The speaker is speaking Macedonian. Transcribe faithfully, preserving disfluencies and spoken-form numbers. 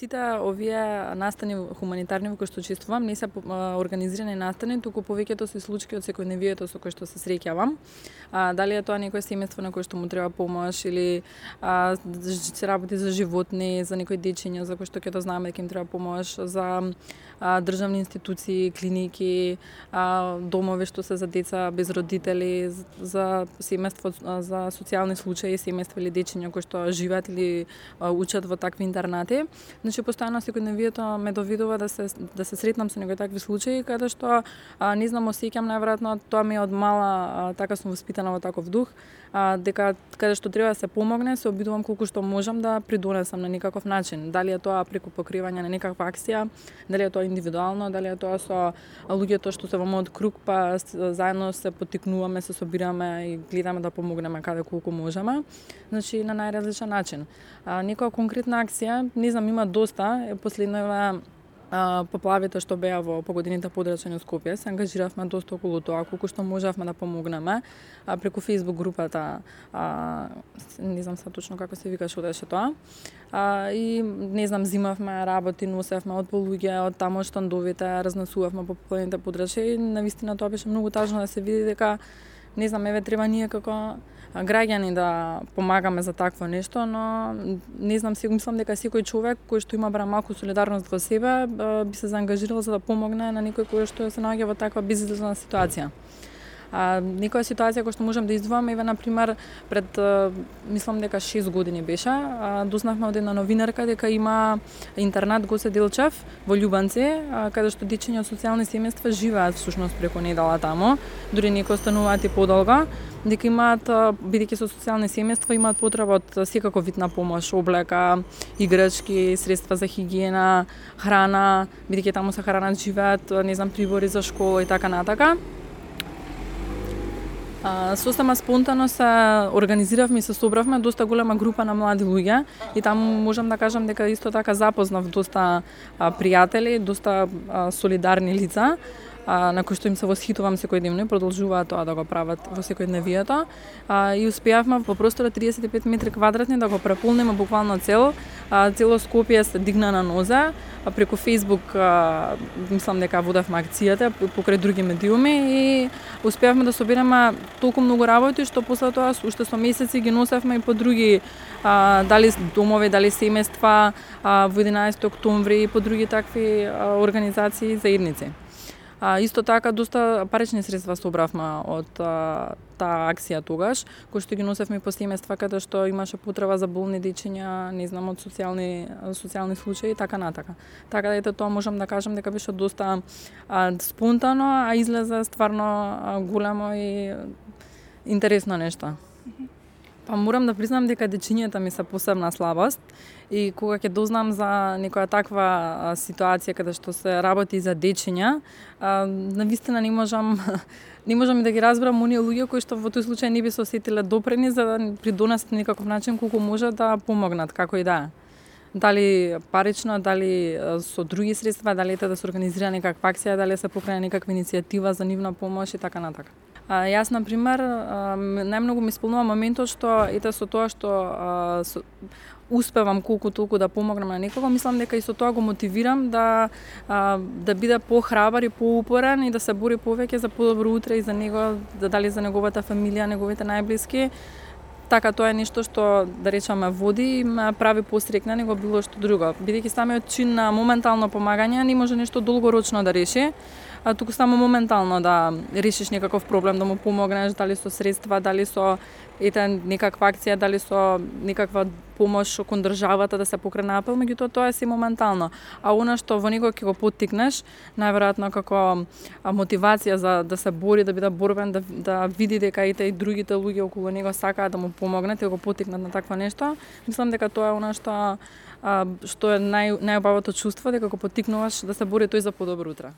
сите овие настани хуманитарни во кои што учествувам не се организирани настани, туку повеќето се случаи од секојдневието со кои што се среќавам. А, дали е тоа некое семејство на кое што му треба помош или а, се работи за животни, за некои дечиња за кои што ќе да знаеме дека им треба помош, за а, државни институции, клиники, а, домови што се за деца без родители, за семејство за социјални случаи, семејства или дечиња кои што живеат или а, учат во такви интернати. Значи постојано секојдневието ме довидува да се да се сретнам со некои такви случаи каде што а, не знам, осеќам најверојатно тоа ми е од мала а, така сум воспитана во таков дух, а, дека каде што треба да се помогне, се обидувам колку што можам да придонесам на некаков начин. Дали е тоа преку покривање на некаква акција, дали е тоа индивидуално, дали е тоа со луѓето што се во мојот круг, па заедно се поттикнуваме, се собираме и гледаме да помогнеме каде колку можеме. Значи на најразличен начин. А, некоја конкретна акција, не знам, има доста, последно е поплавите што беа во погодините подрачени од Скопје, се ангажиравме доста околу тоа, колку што можевме да помогнеме а, преку Facebook групата, а, не знам са точно како се викаше одеше тоа. А, и не знам, зимавме работи, носевме од полуѓе, од таму штандовите, разнесувавме по погодините подрачи и навистина тоа беше многу тажно да се види дека не знам, еве треба ние како граѓани да помагаме за такво нешто, но не знам, си мислам дека секој човек кој што има бара малку солидарност во себе би се заангажирал за да помогне на некој кој што се наоѓа во таква безизлазна ситуација. А, некоја ситуација која што можам да издвојам, еве на пример пред мислам дека шест години беше, а, дознавме од една новинарка дека има интернат Гоце Делчев во Љубанци, а, каде што дечиња од социјални семејства живеат всушност преку недела таму, дури некои остануваат и подолго, дека имаат, бидејќи со социјални семејства, имаат потреба од секаков вид на помош, облека, играчки, средства за хигиена, храна, бидејќи таму се хранат, живеат, не знам, прибори за школа и така натака. А, сосема спонтано се организиравме и се собравме доста голема група на млади луѓе и таму можам да кажам дека исто така запознав доста а, пријатели, доста а, солидарни лица, а, на кои што им се восхитувам секојдневно и продолжуваат тоа да го прават во секојдневието. А, и успеавме во простор од триесет и пет метри квадратни да го преполниме буквално цел. А, цело Скопје се дигна на нозе, а преку Facebook а, мислам дека водевме акцијата покрај други медиуми и успеавме да собереме толку многу работи што после тоа уште со месеци ги носевме и по други а, дали домови, дали семејства а, во единаесети октомври и по други такви а, организации и заедници. А, исто така доста парични средства собравме од а, таа акција тогаш, кои што ги носевме по семејства каде што имаше потреба за болни дечиња, не знам, од социјални социјални случаи и така натака. Така да ете тоа можам да кажам дека беше доста а, спонтано, а излезе стварно а, големо и интересно нешто. Па морам да признам дека дечињата ми се посебна слабост и кога ќе дознам за некоја таква а, ситуација каде што се работи за дечиња, а, навистина не можам не можам и да ги разберам оние луѓе кои што во тој случај не би се осетиле допрени за да придонесат на некаков начин колку може да помогнат, како и да е. Дали парично, дали со други средства, дали ете да се организира некаква акција, дали се покрene некаква иницијатива за нивна помош и така натака. А, јас, на пример, најмногу ми исполнува моментот што ете со тоа што а, со, успевам колку толку да помогнам на некого, мислам дека и со тоа го мотивирам да а, да биде похрабар и поупорен и да се бори повеќе за подобро утре и за него, да дали за неговата фамилија, неговите најблиски. Така тоа е нешто што, да речеме, води и ме прави посрекна него било што друго. Бидејќи самиот чин на моментално помагање не може нешто долгорочно да реши, а туку само моментално да решиш некаков проблем, да му помогнеш, дали со средства, дали со ете некаква акција, дали со некаква помош кон државата да се покрене апел, меѓутоа тоа е си моментално. А она што во него ќе го поттикнеш, најверојатно како мотивација за да се бори, да биде борбен, да, да види дека ете и другите луѓе околу него сакаат да му помогнат и го поттикнат на такво нешто, мислам дека тоа е она што а, што е нај најубавото чувство, дека го поттикнуваш да се бори тој за подобро утре.